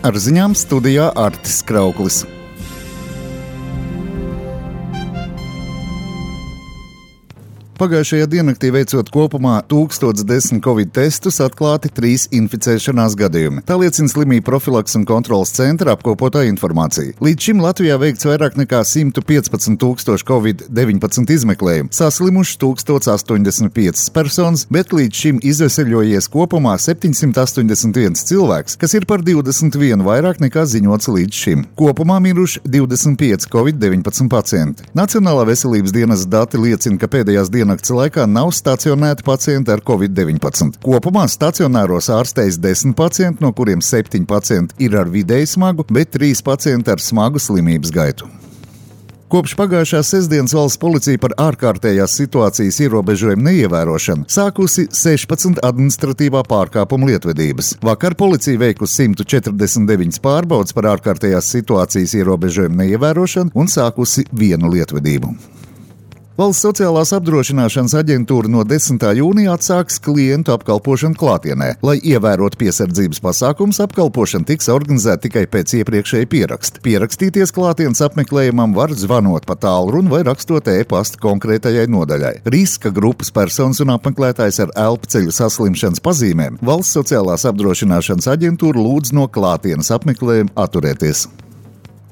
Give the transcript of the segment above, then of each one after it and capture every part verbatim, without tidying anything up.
Ar ziņām studijā Artis Krauklis. Pagājušajā diennaktī veicot kopumā tūkstoš desmit covid testus, atklāti trīs inficēšanās gadījumi. Tā liecina slimību profilakses un kontrolas centra apkopotā informācija. Līdz šim Latvijā veikts vairāk nekā simt piecpadsmit tūkstoši covid deviņpadsmit izmeklējumu, saslimuši tūkstoš astoņdesmit piecas personas, bet līdz šim izveseļojies kopumā septiņsimt astoņdesmit viens cilvēks, kas ir par divdesmit vienu vairāk nekā ziņots līdz šim. Kopumā miruši divdesmit pieci covid deviņpadsmit pacienti. Nacionālā veselības dienesta dati liecina, ka pēdējās dienas nakts laikā nav stacionēti pacienti ar covid deviņpadsmit. Kopumā stacionāros ārstējas desmit pacienti, no kuriem septiņi pacienti ir ar vidēji smagu, bet trīs pacienti ar smagu slimības gaitu. Kopš pagājušās sestdienas valsts policija par ārkārtējās situācijas ierobežojumu neievērošanu sākusi sešpadsmit administratīvā pārkāpuma lietvedības. Vakar policija veikusi simt četrdesmit deviņas pārbaudes par ārkārtējās situācijas ierobežojumu neievērošanu un sākusi vienu lietvedību. Valsts sociālās apdrošināšanas aģentūra no desmitā jūnija atsāks klientu apkalpošanu klātienē. Lai ievērotu piesardzības pasākums, apkalpošana tiks organizēta tikai pēc iepriekšēja pieraksta. Pierakstīties klātienes apmeklējumam var zvanot pa tālruni vai rakstot e-pastu konkrētajai nodaļai. Riska grupas personas un apmeklētājs ar elpceļu saslimšanas pazīmēm Valsts sociālās apdrošināšanas aģentūra lūdz no klātienes apmeklējuma atturēties.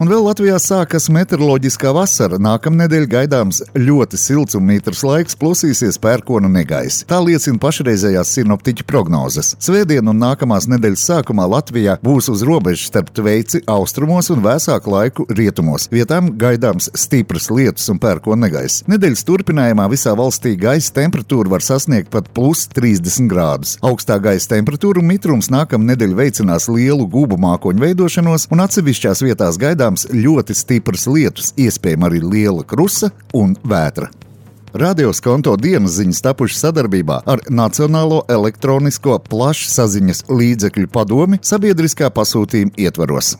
Un vēl Latvijā sākas meteoroloģiskā vasara. Nākamnedēļ gaidāms ļoti silts un mitrs laiks, plosīsies pērkona negaisa. Tā liecina pašreizējās sinoptiķu prognozes. Svētdien un nākamās nedēļas sākumā Latvijā būs uz robežas starp Tveici austrumos un vēsāku laiku rietumos. Vietām gaidāms stipras lietus un pērkona negaisa. Nedēļas turpinājumā visā valstī gaisa temperatūra var sasniegt pat plus trīsdesmit grādus. Augstā gaisa temperatūra un mitrums nākamnedēļ veicinās lielu gubu mākoņu veidošanos un atsevišķās vietās gaidāms ļoti stipras lietus, iespējama arī liela krusa un vētra. Radio Skonto dienas ziņas tapušas sadarbībā ar Nacionālo elektronisko plašsaziņas līdzekļu padomi sabiedriskā pasūtījuma ietvaros.